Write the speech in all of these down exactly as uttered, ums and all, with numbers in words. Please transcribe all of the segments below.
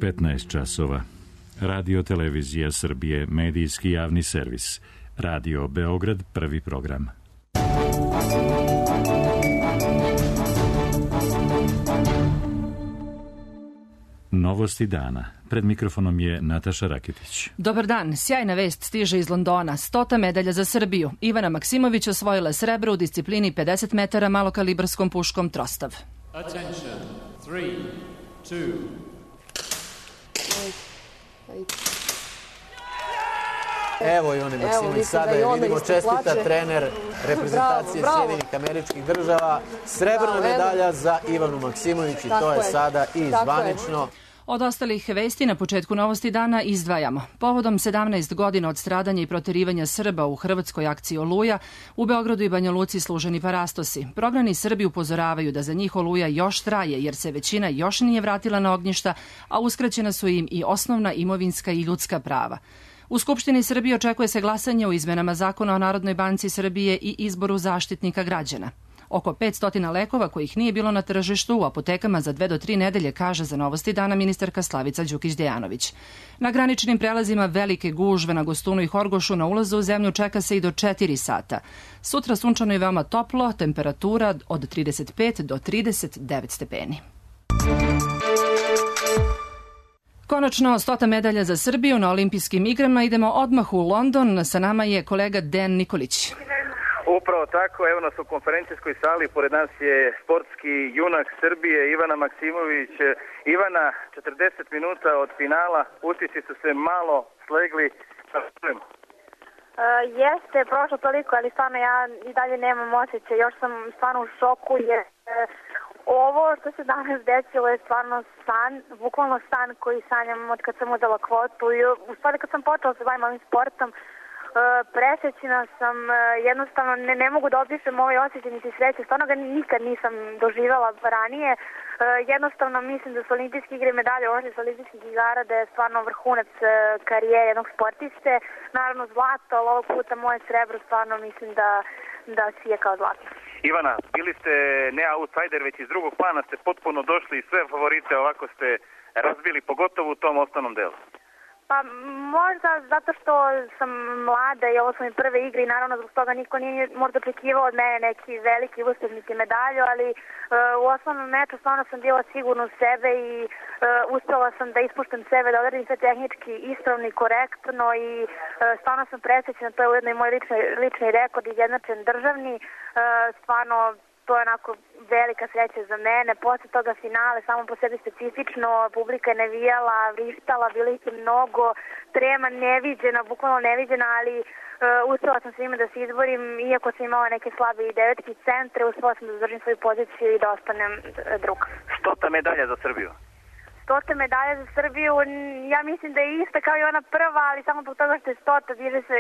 petnaest časova. Radio Televizija Srbije, medijski javni servis. Radio Beograd, prvi program. Novosti dana. Pred mikrofonom je Nataša Raketić. Dobar dan. Sjajna vest stiže iz Londona. Stota medalja za Srbiju. Ivana Maksimović osvojila srebro u disciplini pedeset metara malokalibarskom puškom Trostav. Attention. Three, two. Evo i one Maksimović sada je vidimo, čestita trener reprezentacije Sjedinjenih Američkih Država. Srebrna medalja za Ivanu Maksimović i to je sada i zvanično. Od ostalih vesti na početku Novosti dana izdvajamo. Povodom sedamnaest godina od stradanja i proterivanja Srba u hrvatskoj akciji Oluja, u Beogradu i Banja Luci služeni parastosi. Prognani Srbi upozoravaju da za njih Oluja još traje, jer se većina još nije vratila na ognjišta, a uskraćena su im i osnovna imovinska i ljudska prava. U Skupštini Srbije očekuje se glasanje o izmenama Zakona o Narodnoj banci Srbije i izboru zaštitnika građana. Oko petsto lekova kojih nije bilo na tržištu u apotekama za dve do tri nedelje, kaže za Novosti dana ministarka Slavica Đukić-Dejanović. Na graničnim prelazima velike gužve na Gostunu i Horgošu na ulazu u zemlju čeka se i do četiri sata. Sutra sunčano i veoma toplo, temperatura od trideset pet do trideset devet stepeni. Konačno, stota medalja za Srbiju na olimpijskim igrama. Idemo odmah u London. Sa nama je kolega Dejan Nikolić. Upravo tako, evo nas u konferencijskoj sali, pored nas je sportski junak Srbije, Ivana Maksimović. Ivana, četrdeset minuta od finala, utisci su se malo slegli. Uh, jeste, prošlo toliko, ali stvarno ja i dalje nemam osjećaj, još sam stvarno u šoku, jer uh, ovo što se danas desilo je stvarno san, bukvalno san koji sanjam od kad sam uzela kvotu i u stvari kad sam počela se bavim ovim sportom. Presrećena sam, jednostavno ne, ne mogu da opišem ovaj osjećaj niti sreće, stvarno ga nikad nisam doživjela ranije. Jednostavno mislim da su olimpijske igre i medalje ošli sa olimpijskih igara, da je stvarno vrhunac karijere jednog sportiste. Naravno zlato, ali ovog puta moje srebro stvarno mislim da, da sije kao zlato. Ivana, bili ste ne outsider, već iz drugog plana ste potpuno došli i sve favorite ovako ste razbili, pogotovo u tom osnovnom delu. Pa možda zato što sam mlada i ovo su mi prve igre i naravno zbog toga niko nije možda očekivao od mene neki veliki uspeh niti medalju, ali uh, u osnovnom meču stvarno sam bila sigurna u sebe i uh, uspela sam da ispuštam sebe, da odradim sve tehnički ispravno i korektno i uh, stvarno sam presrećena, to je ujedno i moj lični, lični rekord izjednačen državni, uh, stvarno to je onako velika sreća za mene. Posle toga finale, samo po sebi specifično, publika je navijala, vrištala, bilo ih je mnogo, trema neviđena, bukvalno neviđena, ali uh, uspela sam svima da se izborim, iako sam imala neke slabe i devetki centre, uspela sam da zadržim svoju poziciju i da ostanem druga. Stota medalja za Srbiju. Stota medalja za Srbiju, ja mislim da je ista kao i ona prva, ali samo zbog toga što je stota, diže se,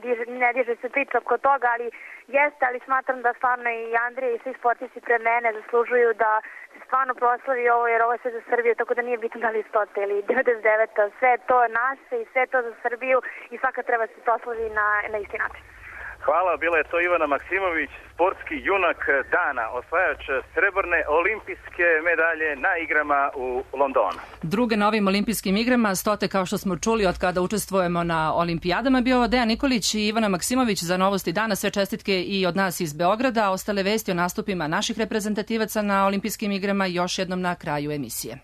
diže, ne diže se priča oko toga, ali jeste, ali smatram da stvarno i Andrija i svi sportisti pre mene zaslužuju da se stvarno proslavi ovo, jer ovo je sve za Srbiju, tako da nije bitno da li stota ili devedeset deveta, sve to je naše i sve to za Srbiju i svaka treba se proslavi na, na isti način. Hvala, bila je to Ivana Maksimović, sportski junak dana, osvajač srebrne olimpijske medalje na igrama u Londonu. Druge na ovim olimpijskim igrama, stote kao što smo čuli od kada učestvujemo na olimpijadama, bio Dejan Nikolić i Ivana Maksimović za Novosti dana. Sve čestitke i od nas iz Beograda. Ostale vesti o nastupima naših reprezentativaca na olimpijskim igrama još jednom na kraju emisije.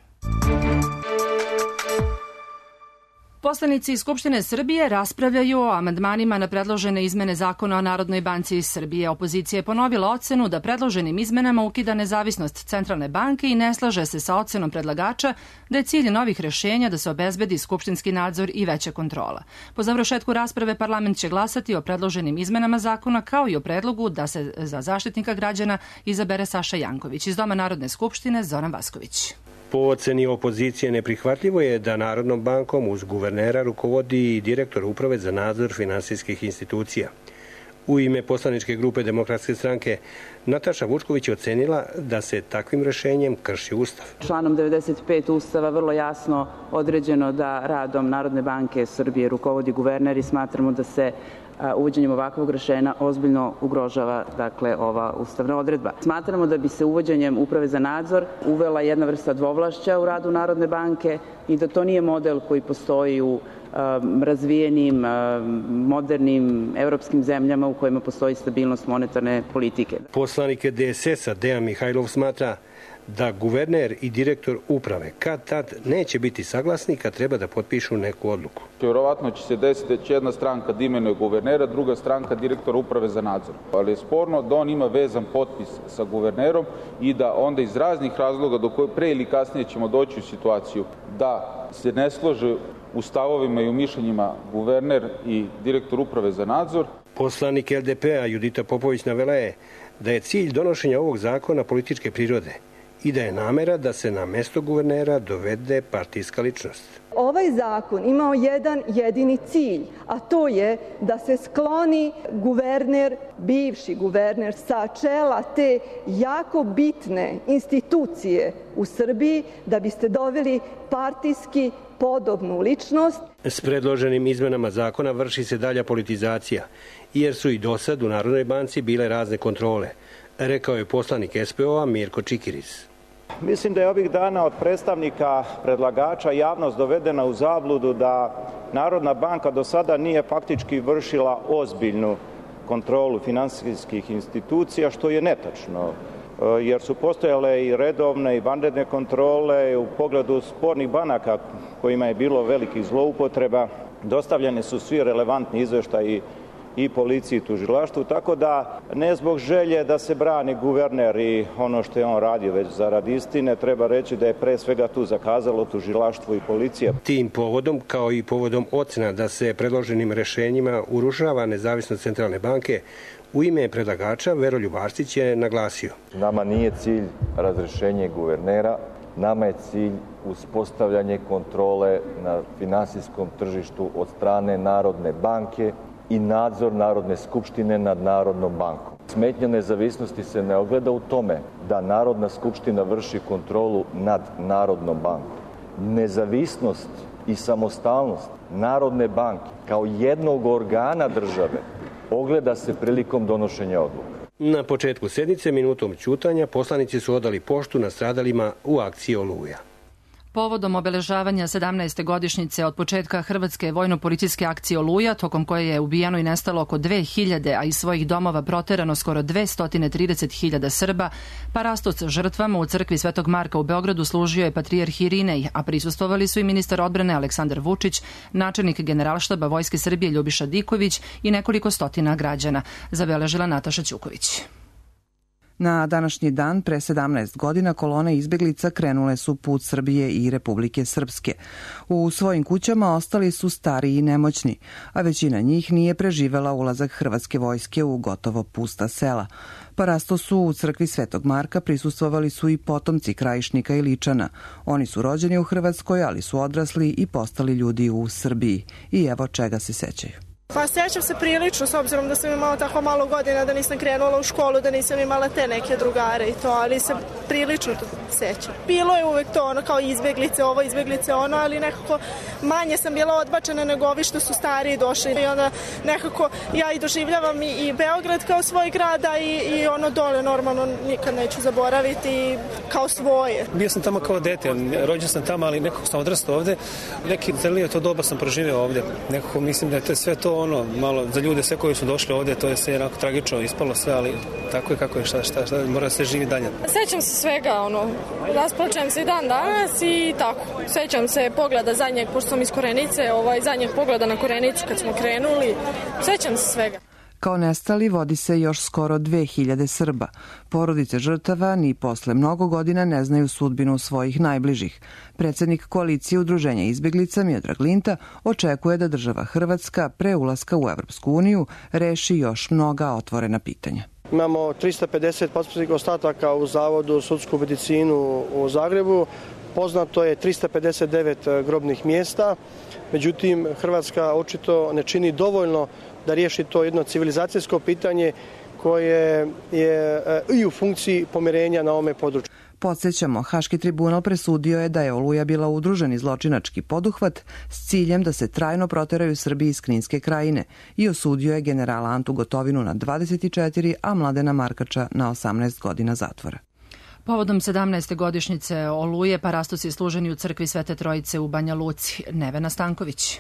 Poslanici iz Skupštine Srbije raspravljaju o amandmanima na predložene izmene Zakona o Narodnoj banci Srbije. Opozicija je ponovila ocenu da predloženim izmenama ukida nezavisnost Centralne banke i ne slaže se sa ocenom predlagača da je cilj novih rešenja da se obezbedi skupštinski nadzor i veća kontrola. Po završetku rasprave parlament će glasati o predloženim izmenama zakona kao i o predlogu da se za zaštitnika građana izabere Saša Janković. Iz Doma Narodne skupštine Zoran Vasković. Po oceni opozicije neprihvatljivo je da Narodnom bankom uz guvernera rukovodi i direktor Uprave za nadzor finansijskih institucija. U ime poslaničke grupe Demokratske stranke Nataša Vučković je ocenila da se takvim rešenjem krši Ustav. Članom devedeset pet Ustava vrlo jasno određeno da radom Narodne banke Srbije rukovodi guverner i smatramo da se uvođenjem ovakvog rešenja ozbiljno ugrožava dakle ova ustavna odredba. Smatramo da bi se uvođenjem Uprave za nadzor uvela jedna vrsta dvovlašća u radu Narodne banke i da to nije model koji postoji u razvijenim, modernim evropskim zemljama u kojima postoji stabilnost monetarne politike. Poslanik D S S-a Dejan Mihajlov smatra da guverner i direktor uprave kad tad neće biti saglasni kad treba da potpišu neku odluku. Vjerovatno će se desiti da će jedna stranka da imenuje guvernera, druga stranka direktora uprave za nadzor. Ali je sporno da on ima vezan potpis sa guvernerom i da onda iz raznih razloga do koje pre ili kasnije ćemo doći u situaciju da se ne slože u stavovima i u mišljenjima guverner i direktor uprave za nadzor. Poslanik L D P-a Judita Popović navela je da je cilj donošenja ovog zakona političke prirode i da je namera da se na mesto guvernera dovede partijska ličnost. Ovaj zakon imao jedan jedini cilj, a to je da se skloni guverner, bivši guverner, sa čela te jako bitne institucije u Srbiji, da biste doveli partijski podobnu ličnost. S predloženim izmenama zakona vrši se dalja politizacija, jer su i dosad u Narodnoj banci bile razne kontrole, rekao je poslanik S P O-a Mirko Čikiris. Mislim da je ovih dana od predstavnika predlagača javnost dovedena u zabludu da Narodna banka do sada nije faktički vršila ozbiljnu kontrolu finansijskih institucija, što je netačno, jer su postojale i redovne i vanredne kontrole u pogledu spornih banaka kojima je bilo velikih zloupotreba. Dostavljeni su svi relevantni izveštaji i policiji i tužilaštvu, tako da ne zbog želje da se brani guverner i ono što je on radio, već zarad istine, treba reći da je pre svega tu zakazalo tužilaštvo i policija. Tim povodom, kao i povodom ocena da se predloženim rešenjima urušava nezavisnost Centralne banke, u ime predlagača Veroljub Arsić je naglasio. Nama nije cilj razrešenje guvernera, nama je cilj uspostavljanje kontrole na finansijskom tržištu od strane Narodne banke i nadzor Narodne skupštine nad Narodnom bankom. Smetnja nezavisnosti se ne ogleda u tome da Narodna skupština vrši kontrolu nad Narodnom bankom. Nezavisnost i samostalnost Narodne banke kao jednog organa države ogleda se prilikom donošenja odluka. Na početku sednice minutom ćutanja poslanici su odali poštu nastradalima u akciji Oluja. Povodom obeležavanja sedamnaeste godišnjice od početka hrvatske vojno-policijske akcije Oluja, tokom koje je ubijeno i nestalo oko dve hiljade, a iz svojih domova proterano skoro dvesta trideset hiljada Srba, parastos žrtvama u crkvi Svetog Marka u Beogradu služio je patrijarh Irinej, a prisustvovali su i ministar odbrane Aleksandar Vučić, načelnik Generalštaba Vojske Srbije Ljubiša Diković i nekoliko stotina građana, zabeležila Nataša Ćuković. Na današnji dan, pre sedamnaest godina, kolone izbeglica krenule su put Srbije i Republike Srpske. U svojim kućama ostali su stari i nemoćni, a većina njih nije preživela ulazak hrvatske vojske u gotovo pusta sela. Parastosu u crkvi Svetog Marka prisustvovali su i potomci Krajišnika i Ličana. Oni su rođeni u Hrvatskoj, ali su odrasli i postali ljudi u Srbiji. I evo čega se sećaju. Pa sjećam se prilično, s obzirom da sam imala tako malo godina, da nisam krenula u školu, da nisam imala te neke drugare i to, ali se prilično to sećam. Bilo je uvek to ono kao izbeglice ovo, izbeglice ono, ali nekako manje sam bila odbačena nego ovi što su stariji došli. I onda nekako ja i doživljavam i, i Beograd kao svoj grada i, i ono dole normalno nikad neću zaboraviti kao svoje. Bio sam tamo kao dete, rođen sam tamo, ali nekako sam odrastao ovde. Neki zelije to doba sam proživio ovde. Nekako mislim da je to sve to ono, malo za ljude sve koji su došli ovdje, to je sve jednako tragično ispalo sve, ali tako je kako je, šta, šta, šta, mora se živi dalje. Sećam se svega, ono, rasplačem se i dan danas i tako. Sećam se pogleda zadnjeg, pošto sam iz Korenice, ovaj, zadnjeg pogleda na Korenicu kad smo krenuli. Sećam se svega. Kao nestali vodi se još skoro dve hiljade Srba. Porodice žrtava ni posle mnogo godina ne znaju sudbinu svojih najbližih. Predsednik koalicije Udruženja izbeglica Miodrag Linta očekuje da država Hrvatska pre ulaska u Evropsku uniju reši još mnoga otvorena pitanja. Imamo trista pedeset posmrtnih ostataka u Zavodu sudsku medicinu u Zagrebu. Poznato je trista pedeset devet grobnih mjesta. Međutim, Hrvatska očito ne čini dovoljno da riješi to jedno civilizacijsko pitanje koje je i u funkciji pomirenja na ovome području. Podsjećamo, Haški tribunal presudio je da je Oluja bila udruženi zločinački poduhvat s ciljem da se trajno proteraju Srbi iz Kninske krajine i osudio je generala Antu Gotovinu na dvadeset četiri, a Mladena Markača na osamnaest godina zatvora. Povodom sedamnaeste godišnjice Oluje parastosi služeni u crkvi Svete Trojice u Banja Luci. Nevena Stanković.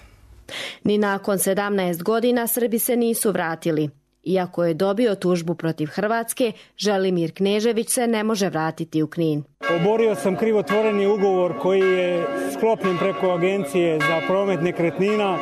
Ni nakon sedamnaest godina Srbi se nisu vratili. Iako je dobio tužbu protiv Hrvatske, Želimir Knežević se ne može vratiti u Knin. Oborio sam krivotvoreni ugovor koji je sklopljen preko Agencije za promet nekretnina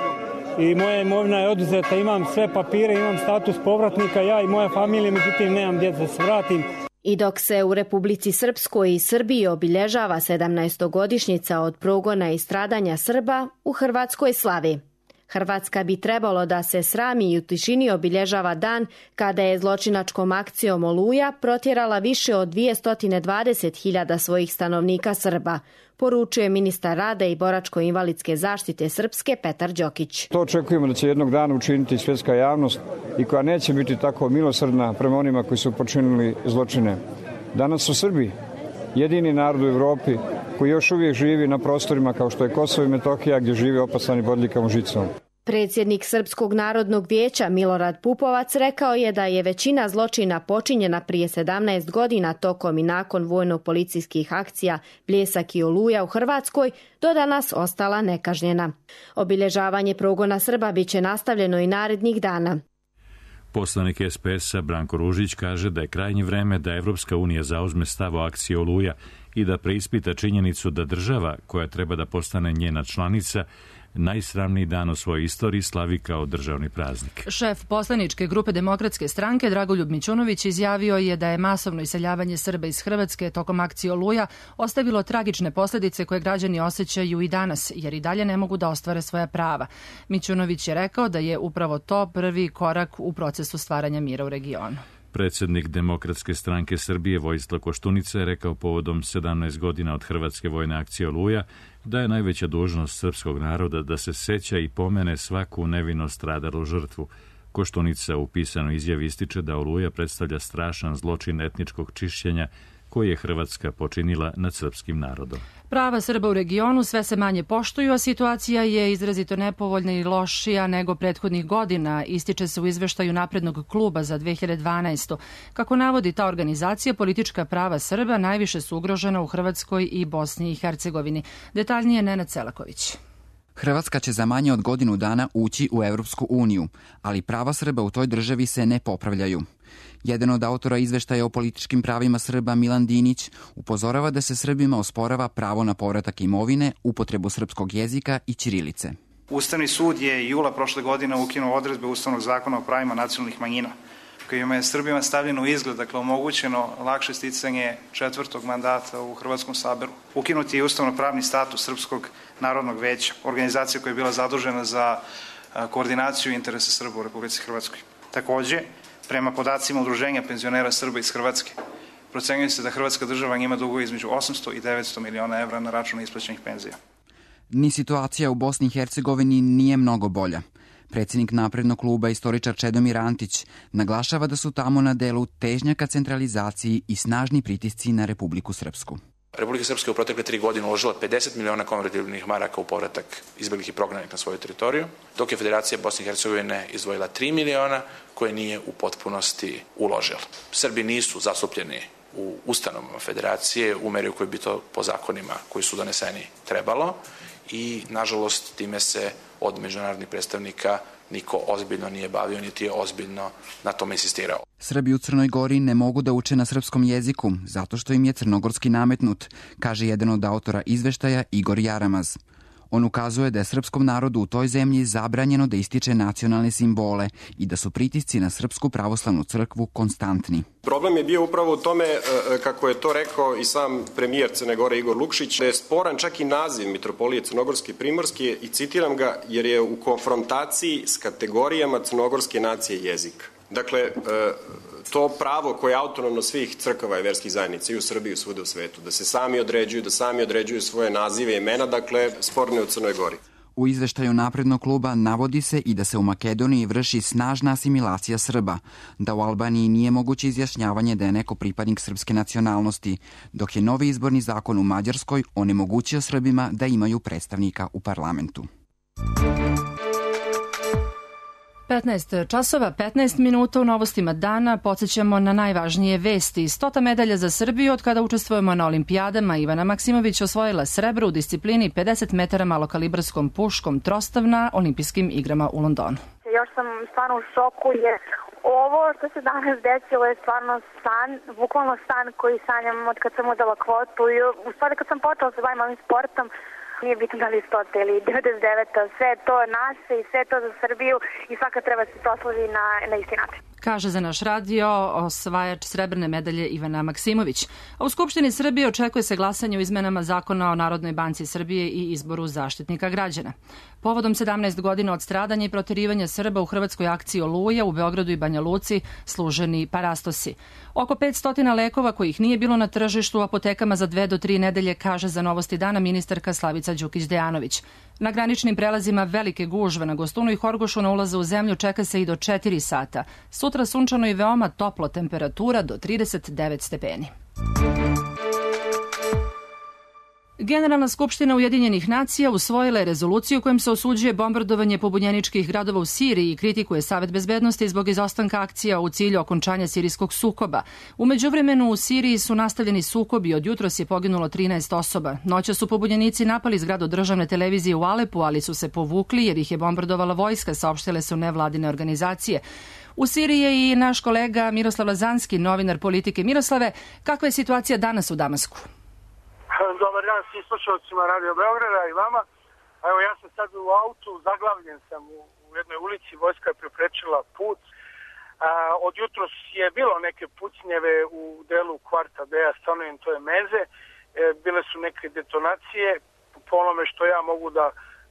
i moja imovina je oduzeta. Imam sve papire, imam status povratnika, ja i moja familija, međutim nemam gdje da se vratim. I dok se u Republici Srpskoj i Srbiji obilježava sedamnaestogodišnjica od progona i stradanja Srba, u Hrvatskoj slavi. Hrvatska bi trebalo da se srami i u tišini obilježava dan kada je zločinačkom akcijom Oluja protjerala više od dvjesto dvadeset hiljada svojih stanovnika Srba, poručuje ministar rada i boračko-invalidske zaštite Srpske Petar Đokić. To očekujemo da će jednog dana učiniti svjetska javnost i koja neće biti tako milosrdna prema onima koji su počinili zločine. Danas su Srbi jedini narod u Evropi koji još uvijek živi na prostorima kao što je Kosovo i Metohija gdje žive opasani bodljikavom žicom. Predsjednik Srpskog narodnog vijeća Milorad Pupovac rekao je da je većina zločina počinjena prije sedamnaest godina tokom i nakon vojno-policijskih akcija Bljesak i Oluja u Hrvatskoj do danas ostala nekažnjena. Obilježavanje progona Srba biće nastavljeno i narednih dana. Poslanik es pe es-a Branko Ružić kaže da je krajnje vreme da Evropska unija zauzme stav o akciji Oluja i da preispita činjenicu da država koja treba da postane njena članica najsramniji dan u svojoj istoriji slavi kao državni praznik. Šef poslaničke grupe Demokratske stranke Dragoljub Mićunović izjavio je da je masovno iseljavanje Srba iz Hrvatske tokom akcije Oluja ostavilo tragične posljedice koje građani osjećaju i danas, jer i dalje ne mogu da ostvare svoja prava. Mićunović je rekao da je upravo to prvi korak u procesu stvaranja mira u regionu. Predsjednik Demokratske stranke Srbije Vojislav Koštunica je rekao povodom sedamnaest godina od Hrvatske vojne akcije Oluja da je najveća dužnost srpskog naroda da se seća i pomene svaku nevino stradalu žrtvu. Koštunica u pisanoj izjavi ističe da Oluja predstavlja strašan zločin etničkog čišćenja koji je Hrvatska počinila nad srpskim narodom. Prava Srba u regionu sve se manje poštuju, a situacija je izrazito nepovoljna i lošija nego prethodnih godina, ističe se u izveštaju Naprednog kluba za dve hiljade dvanaestu. Kako navodi ta organizacija, politička prava Srba najviše su ugrožena u Hrvatskoj i Bosni i Hercegovini. Detaljnije Nenad Selaković. Hrvatska će za manje od godinu dana ući u Evropsku uniju, ali prava Srba u toj državi se ne popravljaju. Jedan od autora izveštaja o političkim pravima Srba, Milan Dinić, upozorava da se Srbima osporava pravo na povratak imovine, upotrebu srpskog jezika i ćirilice. Ustavni sud je jula prošle godine ukinuo odredbe Ustavnog zakona o pravima nacionalnih manjina, kojima je Srbima stavljeno u izgled, dakle omogućeno lakše sticanje četvrtog mandata u Hrvatskom saboru. Ukinuti je ustavno-pravni status Srpskog narodnog veća, organizacija koja je bila zadužena za koordinaciju interesa Srba u Republici Hrvatskoj. Takođe, prema podacima Udruženja penzionera Srba iz Hrvatske, procenjuje se da Hrvatska država ima dugove između osamsto i devetsto miliona evra na račun isplaćenih penzija. Ni situacija u Bosni i Hercegovini nije mnogo bolja. Predsjednik Naprednog kluba, istoričar Čedomir Antić, naglašava da su tamo na delu težnja ka centralizaciji i snažni pritisci na Republiku Srpsku. Republika Srpska je u protekle tri godine uložila pedeset miliona konvertibilnih maraka u povratak izbeglih i prognanih na svoju teritoriju, dok je Federacija Bosne i Hercegovine izdvojila tri miliona koje nije u potpunosti uložila. Srbi nisu zastupljeni u ustanovama Federacije u meri u kojoj bi to po zakonima koji su doneseni trebalo i, nažalost, time se od međunarodnih predstavnika niko ozbiljno nije bavio, niti je ozbiljno na tome insistirao. Srbi u Crnoj Gori ne mogu da uče na srpskom jeziku, zato što im je crnogorski nametnut, kaže jedan od autora izveštaja Igor Jaramaz. On ukazuje da je srpskom narodu u toj zemlji zabranjeno da ističe nacionalne simbole i da su pritisci na Srpsku pravoslavnu crkvu konstantni. Problem je bio upravo u tome, kako je to rekao i sam premijer Crne Gore Igor Lukšić, da je sporan čak i naziv Mitropolije Crnogorske i Primorske i citiram ga jer je u konfrontaciji s kategorijama crnogorske nacije jezika. Dakle, to pravo koje je autonomno svih crkava i verskih zajednica i u Srbiji i svuda u svetu, da se sami određuju, da sami određuju svoje nazive i imena, dakle, sporne u Crnoj Gori. U izveštaju Naprednog kluba navodi se i da se u Makedoniji vrši snažna asimilacija Srba, da u Albaniji nije moguće izjašnjavanje da je neko pripadnik srpske nacionalnosti, dok je novi izborni zakon u Mađarskoj onemogućio Srbima da imaju predstavnika u parlamentu. petnaest časova, petnaest minuta u novostima dana. Podsjećamo na najvažnije vesti. Stota medalja za Srbiju od kada učestvujemo na olimpijadama. Ivana Maksimović osvojila srebro u disciplini pedeset metara malokalibarskom puškom trostav na olimpijskim igrama u Londonu. Još sam stvarno u šoku jer ovo što se danas desilo je stvarno san, bukvalno san koji sanjam od kad sam udala kvotu i u stvari kad sam počela se bavim ovim sportom. Nije bitno da li je stota ili devedeset deveta, sve to je naše i sve to za Srbiju i svaka treba se proslovi na, na isti način. Kaže za naš radio osvajač srebrne medalje Ivana Maksimović. A u Skupštini Srbije očekuje se glasanje o izmenama Zakona o Narodnoj banci Srbije i izboru zaštitnika građana. Povodom sedamnaest godina od stradanja i proterivanja Srba u hrvatskoj akciji Oluja u Beogradu i Banja Luci služeni parastosi. Oko petsto lekova kojih nije bilo na tržištu u apotekama za dve do tri nedelje, kaže za Novosti dana ministarka Slavica Đukić-Dejanović. Na graničnim prelazima velike gužve na Gostunu i Horgošu na ulazu u zemlju čeka se i do četiri sata. Sutra sunčano i veoma toplo, temperatura do trideset devet stepeni. Generalna skupština Ujedinjenih nacija usvojila je rezoluciju kojom se osuđuje bombardovanje pobunjeničkih gradova u Siriji i kritikuje Savet bezbednosti zbog izostanka akcija u cilju okončanja sirijskog sukoba. U međuvremenu u Siriji su nastavljeni sukobi, od jutros je poginulo trinaest osoba. Noća su pobunjenici napali zgradu državne televizije u Alepu, ali su se povukli jer ih je bombardovala vojska, saopštile su nevladine organizacije. U Siriji je i naš kolega Miroslav Lazanski, novinar Politike. Miroslave, kakva je situacija danas u Damasku? Dobar dan svim slušalcima Radio Beograda i vama. Evo, ja sam sad u autu, zaglavljen sam u, u jednoj ulici, vojska je preprečila put. A, od jutros je bilo neke pucnjeve u delu kvarta gde ja stanujem, to je Meze. E, bile su neke detonacije, po onome što ja mogu da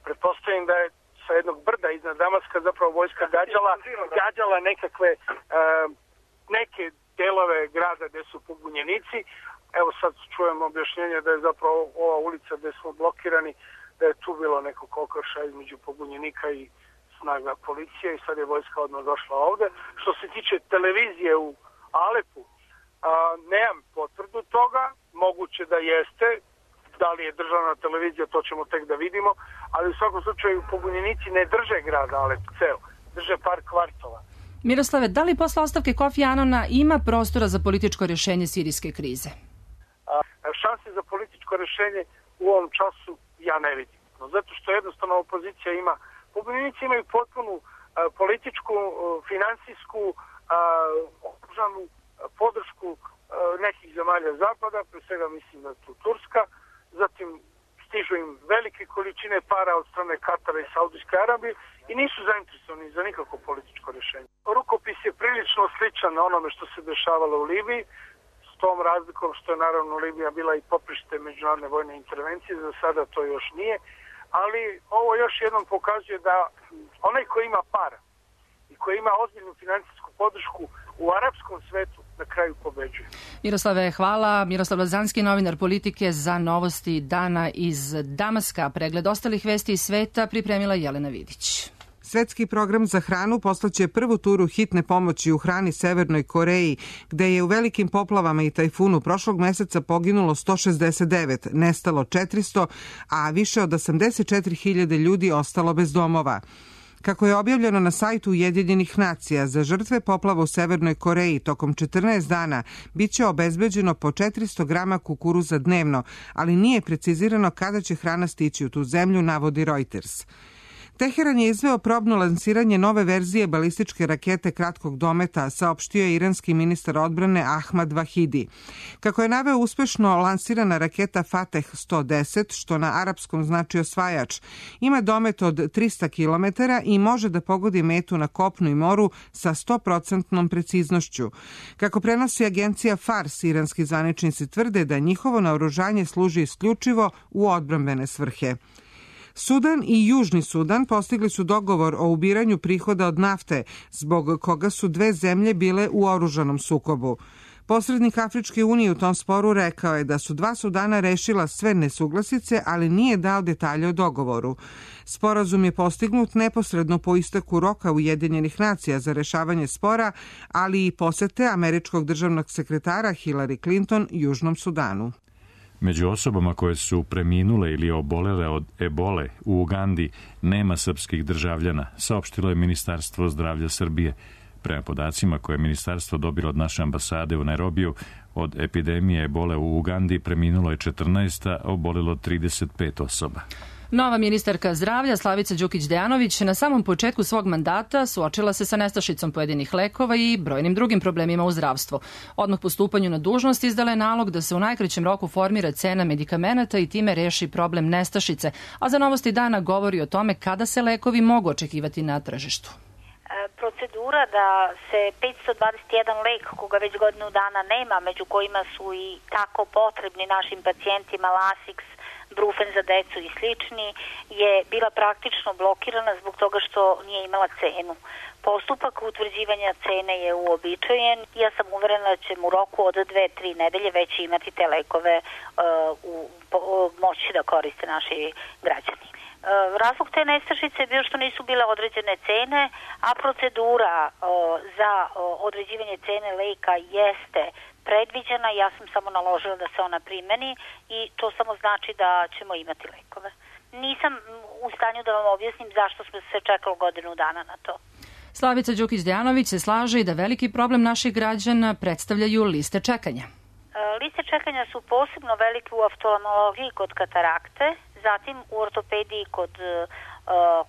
pretpostavim da je sa jednog brda iznad Damaska zapravo vojska gađala, gađala nekakve a, neke delove grada gde su pobunjenici. Evo sad čujem objašnjenje da je zapravo ova ulica gde smo blokirani, da je tu bilo neko kokrša između pobunjenika i snaga policije i sad je vojska odmah došla ovde. Što se tiče televizije u Alepu, a, nemam potvrdu toga, moguće da jeste, da li je državna televizija, to ćemo tek da vidimo, ali u svakom slučaju pobunjenici ne drže grad Alep ceo, drže par kvartova. Miroslave, da li posle ostavke Kofi Anana ima prostora za političko rješenje sirijske krize? Šanse za političko rješenje u ovom času ja ne vidim. No, zato što jednostavno opozicija ima, pobunjenici imaju potpunu a, političku, a, finansijsku, oružanu podršku a, nekih zemalja zapada, pre svega mislim da je tu Turska, zatim stižu im velike količine para od strane Katara i Saudijske Arabije i nisu zainteresovani za nikako političko rješenje. Rukopis je prilično sličan onome što se dešavalo u Libiji, tom razlikom što je naravno Libija bila i poprište međunarodne vojne intervencije, za sada to još nije, ali ovo još jednom pokazuje da onaj ko ima para i ko ima ozbiljnu financijsku podršku u arapskom svetu na kraju pobeđuje. Miroslave, hvala. Miroslav Lazanski, novinar Politike, za Novosti dana iz Damaska. Pregled ostalih vesti iz sveta pripremila Jelena Vidić. Svetski program za hranu poslaće prvu turu hitne pomoći u hrani Severnoj Koreji, gde je u velikim poplavama i tajfunu prošlog meseca poginulo sto šezdeset devet, nestalo četiristo, a više od osamdeset četiri hiljade ljudi ostalo bez domova. Kako je objavljeno na sajtu Ujedinjenih nacija, za žrtve poplava u Severnoj Koreji tokom četrnaest dana biće obezbeđeno po četiristo grama kukuruza dnevno, ali nije precizirano kada će hrana stići u tu zemlju, navodi Reuters. Teheran je izveo probno lansiranje nove verzije balističke rakete kratkog dometa, saopštio je iranski ministar odbrane Ahmad Vahidi. Kako je naveo, uspešno lansirana raketa Fateh sto deset, što na arapskom znači osvajač, ima domet od trista kilometara i može da pogodi metu na kopnu i moru sa sto procenat preciznošću. Kako prenosi agencija Fars, iranski zvaničnici tvrde da njihovo naoružanje služi isključivo u odbrambene svrhe. Sudan i Južni Sudan postigli su dogovor o ubiranju prihoda od nafte, zbog koga su dve zemlje bile u oružanom sukobu. Posrednik Afričke unije u tom sporu rekao je da su dva Sudana rešila sve nesuglasice, ali nije dao detalje o dogovoru. Sporazum je postignut neposredno po isteku roka Ujedinjenih nacija za rešavanje spora, ali i posete američkog državnog sekretara Hillary Clinton Južnom Sudanu. Među osobama koje su preminule ili obolele od ebole u Ugandi nema srpskih državljana, saopštilo je Ministarstvo zdravlja Srbije. Prema podacima koje je ministarstvo dobilo od naše ambasade u Nairobiju, od epidemije ebole u Ugandi preminulo je četrnaest, a obolilo trideset pet osoba. Nova ministarka zdravlja Slavica Đukić Dejanović na samom početku svog mandata suočila se sa nestašicom pojedinih lekova i brojnim drugim problemima u zdravstvu. Odmah po stupanju na dužnost izdala je nalog da se u najkraćem roku formira cena medikamenata i time reši problem nestašice, a za Novosti dana govori o tome kada se lekovi mogu očekivati na tržištu. Procedura da se petsto dvadeset jedan lek, koga već godinu dana nema, među kojima su i tako potrebni našim pacijentima Lasix, Brufen za decu i slični, je bila praktično blokirana zbog toga što nije imala cenu. Postupak utvrđivanja cene je uobičajen. Ja sam uverena da ćemo u roku od dve, tri nedelje već imati te lekove uh, u, po, moći da koriste naši građani. Razlog te nestašice je bio što nisu bile određene cene, a procedura o, za o, određivanje cene leka jeste predviđena. Ja sam samo naložila da se ona primeni i to samo znači da ćemo imati lekove. Nisam u stanju da vam objasnim zašto smo se čekali godinu dana na to. Slavica Đukić-Dejanović se slaže i da veliki problem naših građana predstavljaju liste čekanja. Liste čekanja su posebno velike u oftalmologiji kod katarakte, zatim u ortopediji kod uh,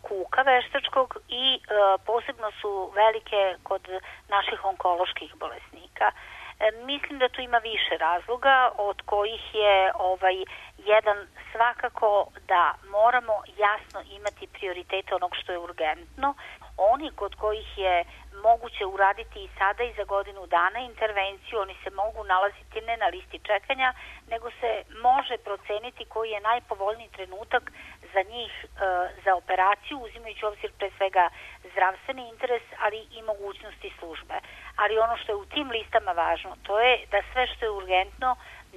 kuka veštačkog i uh, posebno su velike kod naših onkoloških bolesnika. E, mislim da tu ima više razloga, od kojih je ovaj jedan svakako da moramo jasno imati prioritete onog što je urgentno. Oni kod kojih je moguće uraditi i sada i za godinu dana intervenciju, oni se mogu nalaziti ne na listi čekanja, nego se može proceniti koji je najpovoljniji trenutak za njih e, za operaciju, uzimajući obzir pre svega zdravstveni interes, ali i mogućnosti službe. Ali ono što je u tim listama važno, to je da sve što je urgentno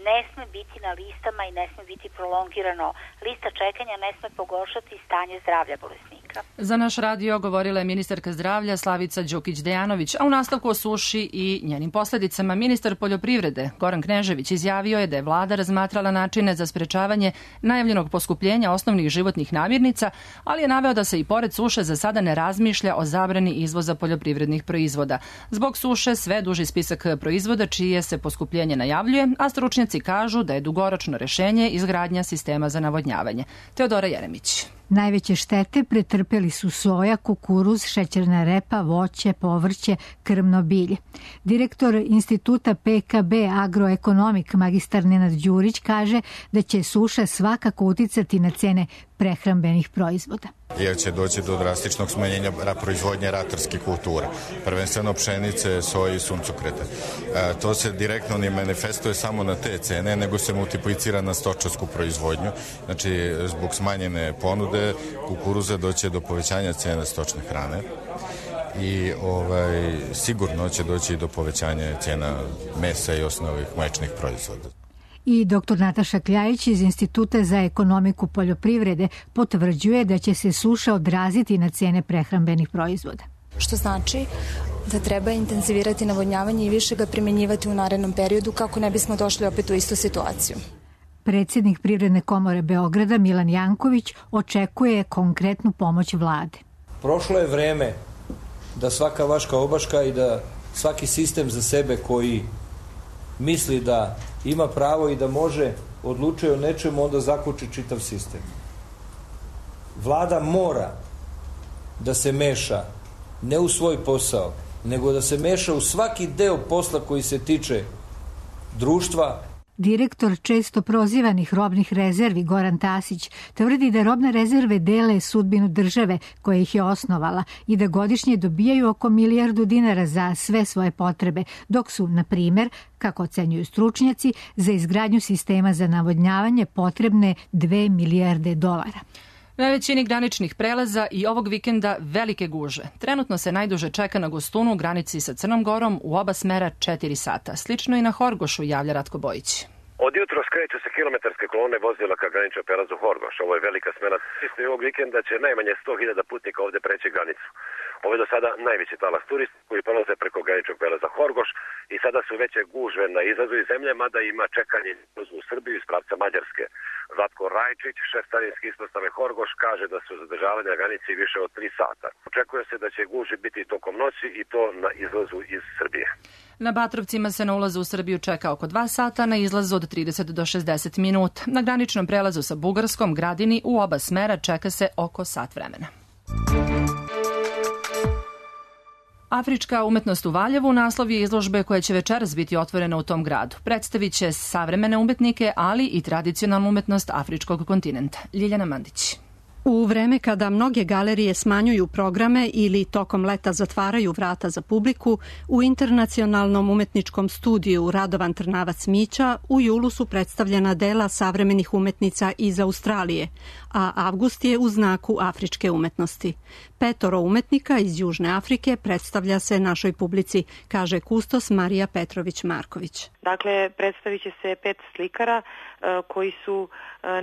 ne sme biti na listama i ne sme biti prolongirano. Lista čekanja ne sme pogoršati stanje zdravlja bolesnika. Za naš radio govorila je ministarka zdravlja Slavica Đukić-Dejanović, a u nastavku o suši i njenim posledicama ministar poljoprivrede Goran Knežević izjavio je da je vlada razmatrala načine za sprečavanje najavljenog poskupljenja osnovnih životnih namirnica, ali je naveo da se i pored suše za sada ne razmišlja o zabrani izvoza poljoprivrednih proizvoda. Zbog suše sve duži spisak proizvoda čije se poskupljenje najavljuje, a stručnjaci kažu da je dugoročno rešenje izgradnja sistema za navodnjavanje. Teodora Jeremić. Najveće štete pretrpeli su soja, kukuruz, šećerna repa, voće, povrće, krmno bilje. Direktor instituta P K B Agroekonomik magistar Nenad Đurić kaže da će suša svakako uticati na cene prehrambenih proizvoda. Jer će doći do drastičnog smanjenja proizvodnje ratarskih kultura, prvenstveno pšenice, soje i suncokreta. E, to se direktno ne manifestuje samo na te cene, nego se multiplicira na stočarsku proizvodnju. Znači, zbog smanjene ponude kukuruza doće do povećanja cena stočne hrane i ovaj, sigurno će doći do povećanja cena mesa i osnovnih mlečnih proizvoda. I doktor Nataša Kljajić iz Instituta za ekonomiku poljoprivrede potvrđuje da će se suša odraziti na cene prehrambenih proizvoda. Što znači da treba intenzivirati navodnjavanje i više ga primjenjivati u narednom periodu kako ne bismo došli opet u istu situaciju. Predsjednik Privredne komore Beograda Milan Janković očekuje konkretnu pomoć vlade. Prošlo je vreme da svaka vaška obaška i da svaki sistem za sebe koji misli da ima pravo i da može odlučuje o nečemu, onda zakuči čitav sistem. Vlada mora da se meša ne u svoj posao, nego da se meša u svaki deo posla koji se tiče društva. Direktor često prozivanih robnih rezervi Goran Tasić tvrdi da robne rezerve dele sudbinu države koja ih je osnovala i da godišnje dobijaju oko milijardu dinara za sve svoje potrebe, dok su, na primer, kako ocenjuju stručnjaci, za izgradnju sistema za navodnjavanje potrebne dve milijarde dolara. Na većini graničnih prelaza i ovog vikenda velike guže. Trenutno se najduže čeka na Gostunu u granici sa Crnom Gorom u oba smera četiri sata. Slično i na Horgošu, javlja Ratko Bojić. Od jutro skreću se kilometarske kolone vozila ka graničnom prelazu Horgoš. Ovo je velika smena. Isto ovog vikenda će najmanje sto hiljada putnika ovde preći granicu. Ovo je do sada najveći talas turista koji prolaze preko graničnog prelaza Horgoš i sada su veće gužve na izlazu iz zemlje, mada ima čekanje u Srbiju iz pravca Mađarske. Zlatko Rajčić, šef carinske ispostave Horgoš, kaže da su zadržavali na granici više od tri sata. Očekuje se da će gužve biti tokom noći i to na izlazu iz Srbije. Na Batrovcima se na ulazu u Srbiju čeka oko dva sata, na izlazu od trideset do šezdeset minuta. Na graničnom prelazu sa Bugarskom, Gradini, u oba smera čeka se oko sat vremena. Afrička umetnost u Valjevu naslov je izložbe koja će večeras biti otvorena u tom gradu. Predstavit će savremene umetnike, ali i tradicionalnu umetnost afričkog kontinenta. Ljiljana Mandić. U vreme kada mnoge galerije smanjuju programe ili tokom leta zatvaraju vrata za publiku, u Internacionalnom umetničkom studiju Radovan Trnavac Mića u julu su predstavljena dela savremenih umetnica iz Australije, a avgust je u znaku afričke umetnosti. Petoro umetnika iz Južne Afrike predstavlja se našoj publici, kaže kustos Marija Petrović-Marković. Dakle, predstavit će se pet slikara koji su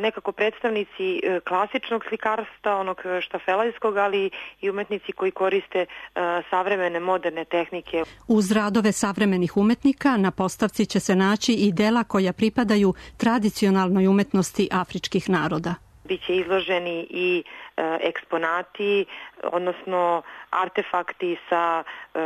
nekako predstavnici klasičnog slikarstva, onog štafelajskog, ali i umetnici koji koriste savremene moderne tehnike. Uz radove savremenih umetnika na postavci će se naći i dela koja pripadaju tradicionalnoj umetnosti afričkih naroda. Biće izloženi i e, eksponati, odnosno artefakti sa e,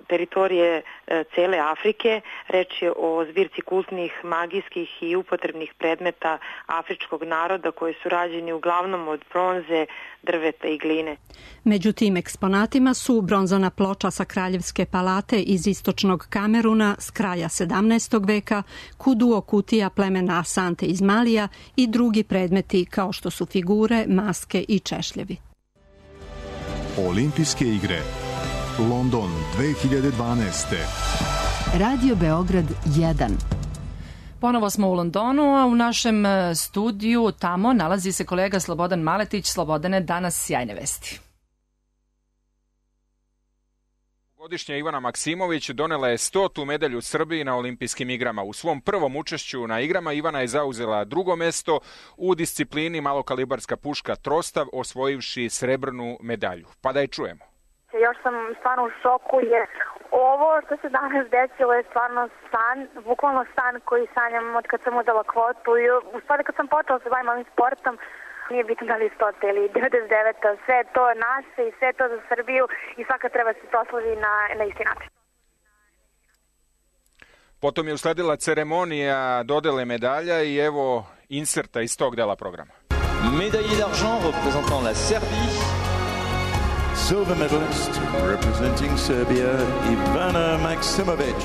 teritorije e, cele Afrike. Reč je o zbirci kultnih, magijskih i upotrebnih predmeta afričkog naroda koji su rađeni uglavnom od bronze, drveta i gline. Među tim eksponatima su bronzana ploča sa Kraljevske palate iz istočnog Kameruna s kraja sedamnaestog veka, kuduo kutija plemena Asante iz Malija i drugi predmeti kao što su figure, maske i češljevi. Olimpijske igre London dve hiljade dvanaeste. Radio Beograd jedan. Ponovo smo u Londonu, a u našem studiju tamo nalazi se kolega Slobodan Maletić. Slobodane, danas sjajne vesti. Godišnja Ivana Maksimović donela je stotu medalju Srbiji na olimpijskim igrama. U svom prvom učešću na igrama Ivana je zauzela drugo mesto u disciplini malokalibarska puška Trostav, osvojivši srebrnu medalju. Pa da je čujemo. Još sam stvarno u šoku jer ovo što se danas desilo je stvarno san, bukvalno san koji sanjam od kad sam uzela kvotu i u stvari kad sam počela se bavim ovim sportom. Nije bitno da li stota ili devedeset deveta, sve je to naše i sve je to za Srbiju i svaka treba se proslavi na, na isti način. Potom je usledila ceremonija dodele medalja i evo inserta iz tog dela programa. Médaillé d'argent représentant la Serbie. Silver medalist representing Serbia, Ivana Maksimović.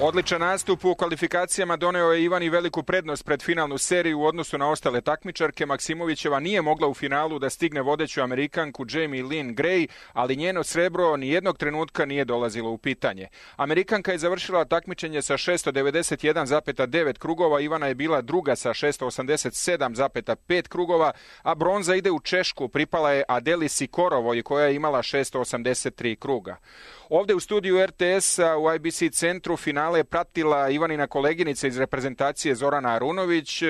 Odličan nastup u kvalifikacijama doneo je Ivani veliku prednost pred finalnu seriju u odnosu na ostale takmičarke. Maksimovićeva nije mogla u finalu da stigne vodeću Amerikanku Jamie Lynn Gray, ali njeno srebro ni jednog trenutka nije dolazilo u pitanje. Amerikanka je završila takmičenje sa šesto devedeset jedan zarez devet krugova, Ivana je bila druga sa šesto osamdeset sedam zarez pet krugova, a bronza ide u Češku, pripala je Adeli Sikorovoj koja je imala šesto osamdeset tri kruga. Ovde u studiju er te es-a u I B C centru finale je pratila Ivanina koleginica iz reprezentacije Zorana Arunović,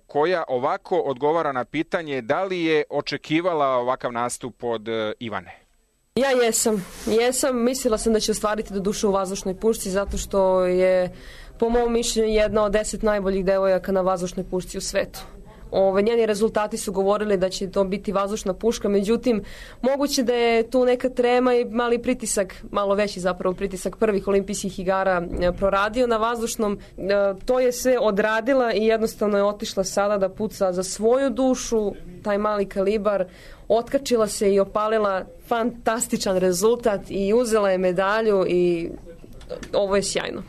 koja ovako odgovara na pitanje da li je očekivala ovakav nastup od Ivane. Ja jesam. Jesam. Mislila sam da će ostvariti do duše u vazdušnoj pušci zato što je, po mom mišljenju, jedna od deset najboljih devojaka na vazdušnoj pušci u svetu. Ove, njeni rezultati su govorili da će to biti vazdušna puška, međutim, moguće da je tu neka trema i mali pritisak, malo veći zapravo pritisak prvih olimpijskih igara proradio na vazdušnom. To je sve odradila i jednostavno je otišla sada da puca za svoju dušu, taj mali kalibar, otkačila se i opalila fantastičan rezultat i uzela je medalju i ovo je sjajno.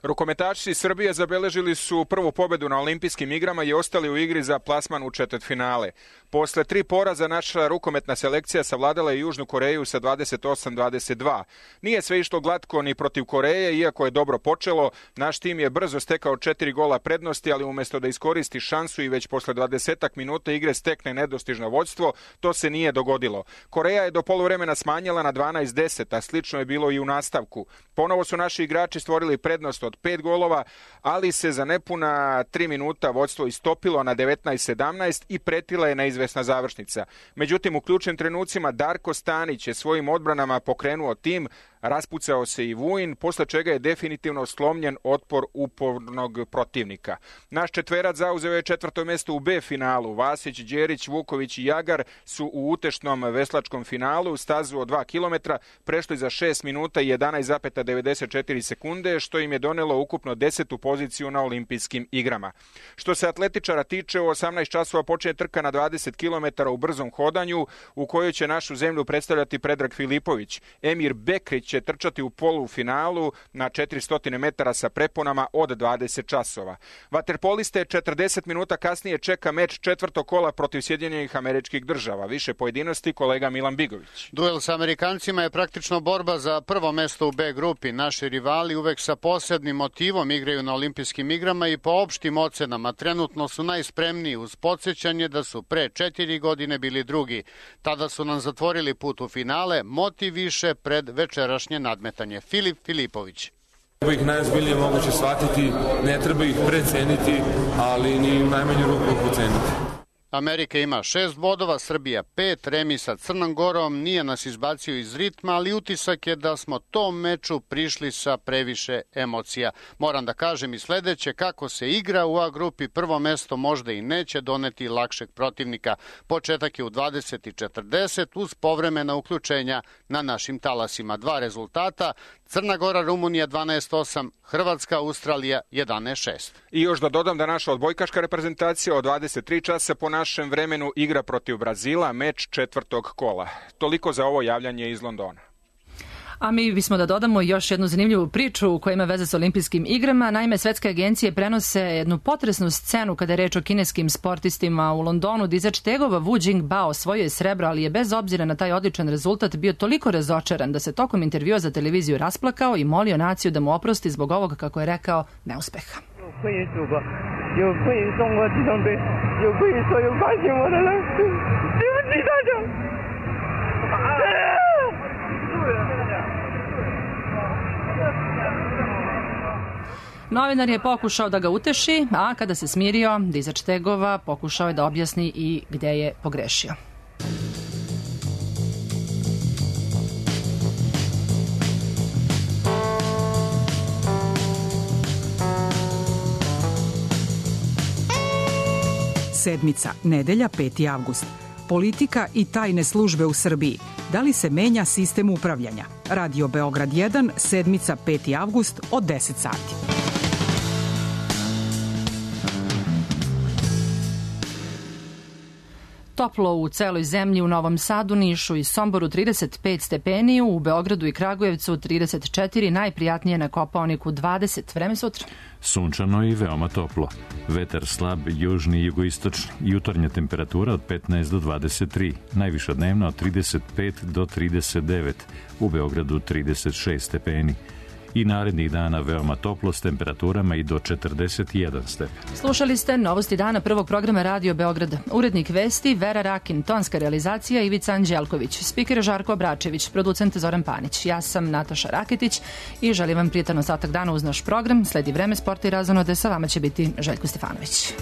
Rukometaši Srbije zabeležili su prvu pobedu na olimpijskim igrama i ostali u igri za plasman u četvrtfinale. Posle tri poraza naša rukometna selekcija savladala je Južnu Koreju sa dvadeset osam dvadeset dva. Nije sve išlo glatko ni protiv Koreje, iako je dobro počelo. Naš tim je brzo stekao četiri gola prednosti, ali umjesto da iskoristi šansu i već posle dvadesetak minuta igre stekne nedostižno vođstvo, to se nije dogodilo. Koreja je do poluvremena smanjila na dvanaest deset, a slično je bilo i u nastavku. Ponovo su naši igrači stvorili prednost od pet golova, ali se za nepuna tri minuta vođstvo istopilo na devetnaest sedamnaest i pretila je neizvesna završnica. Međutim, u ključnim trenucima Darko Stanić je svojim odbranama pokrenuo tim, raspucao se i Vujin, posle čega je definitivno slomljen otpor upornog protivnika. Naš četverac zauzeo je četvrto mesto u B finalu. Vasić, Đerić, Vuković i Jagar su u utešnom veslačkom finalu stazu od dva kilometra prešli za šest minuta i jedanaest zarez devedeset četiri sekunde, što im je donelo ukupno desetu poziciju na olimpijskim igrama. Što se atletičara tiče, u osamnaest časova počinje trka na dvadeset kilometara u brzom hodanju, u kojoj će našu zemlju predstavljati Predrag Filipović. Emir Bekrić će trčati u polufinalu na četiristo metara sa preponama od dvadeset časova. Vaterpoliste četrdeset minuta kasnije čeka meč četvrtog kola protiv Sjedinjenih Američkih Država. Više pojedinosti kolega Milan Bigović. Duel sa Amerikancima je praktično borba za prvo mesto u B grupi. Naši rivali uvek sa posebnim motivom igraju na olimpijskim igrama i po opštim ocenama trenutno su najspremniji, uz podsjećanje da su pre četiri godine bili drugi. Tada su nam zatvorili put u finale, motiv više pred večerašnje nadmetanje. Filip Filipović. Treba ih najozbiljnije moguće shvatiti, ne treba ih preceniti, ali ni u najmanju ruku poceniti. Amerika ima šest bodova, Srbija pet, remi sa Crnom Gorom nije nas izbacio iz ritma, ali utisak je da smo tom meču prišli sa previše emocija. Moram da kažem i sledeće, kako se igra u A grupi, prvo mesto možda i neće doneti lakšeg protivnika. Početak je u dvadeset i četrdeset uz povremena uključenja na našim talasima. Dva rezultata, Crna Gora, Rumunija dvanaest osam, Hrvatska, Australija jedanaest šest. I još da dodam da naša odbojkaška reprezentacija od dvadeset tri časa po našem vremenu igra protiv Brazila, meč četvrtog kola. Toliko za ovo javljanje iz Londona. A mi bismo da dodamo još jednu zanimljivu priču koja ima veze sa olimpijskim igrama. Naime, svetske agencije prenose jednu potresnu scenu kada je reč o kineskim sportistima u Londonu. Dizač tegova Wu Jingbao osvojio je srebro, ali je bez obzira na taj odličan rezultat bio toliko razočaran da se tokom intervjua za televiziju rasplakao i molio naciju da mu oprosti zbog ovog, kako je rekao, neuspeha. Novinar je pokušao da ga uteši, a kada se smirio, dizač tegova pokušao je da objasni i gde je pogrešio. Sedmica, nedelja, peti avgust. Politika i tajne službe u Srbiji. Da li se menja sistem upravljanja? Radio Beograd jedan, sedmica, peti avgust od deset sati. Toplo u celoj zemlji, u Novom Sadu, Nišu i Somboru trideset pet stepeni, u Beogradu i Kragujevcu trideset četiri, najprijatnije na Kopaoniku dvadeset. Vreme sutra. Sunčano i veoma toplo. Vetar slab, južni i jugoistočni. Jutarnja temperatura od petnaest do dvadeset tri. Najviša dnevna od trideset pet do trideset devet. U Beogradu trideset šest stepeni. I narednih dana veoma toplo s temperaturama i do četrdeset jedan stepen. Slušali ste novosti dana prvog programa Radio Beograd. Urednik vesti Vera Rakin, tonska realizacija Ivica Anđelković, spiker Žarko Obračević, producent Zoran Panić. Ja sam Nataša Raketić i želim vam prijetan ostatak dana uz naš program. Sledi vreme, sporta i razonode, sa vama će biti Željko Stefanović.